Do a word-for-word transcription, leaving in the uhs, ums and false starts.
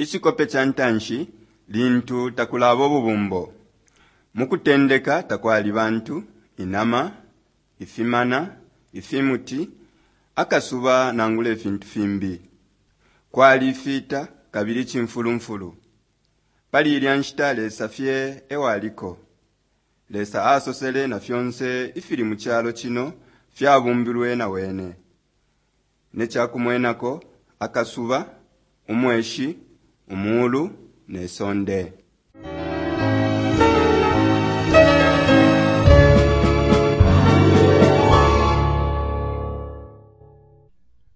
Icikope ca ntanshi, lintu takulaba ububumbo. Mu kutendeka takwali bantu, inama, ifimana, ifimuti, akasuba nangula ifintu fimbi. Kwali fita kabili cimfulumfulu. Pali ilya nshita Lesa fye ewaliko. Lesa asosele na fyonse ifili mu calo cino fyabumbilwe na wene. Ne cakumwenako, akasuba, umweshi, umuulu ne sonde.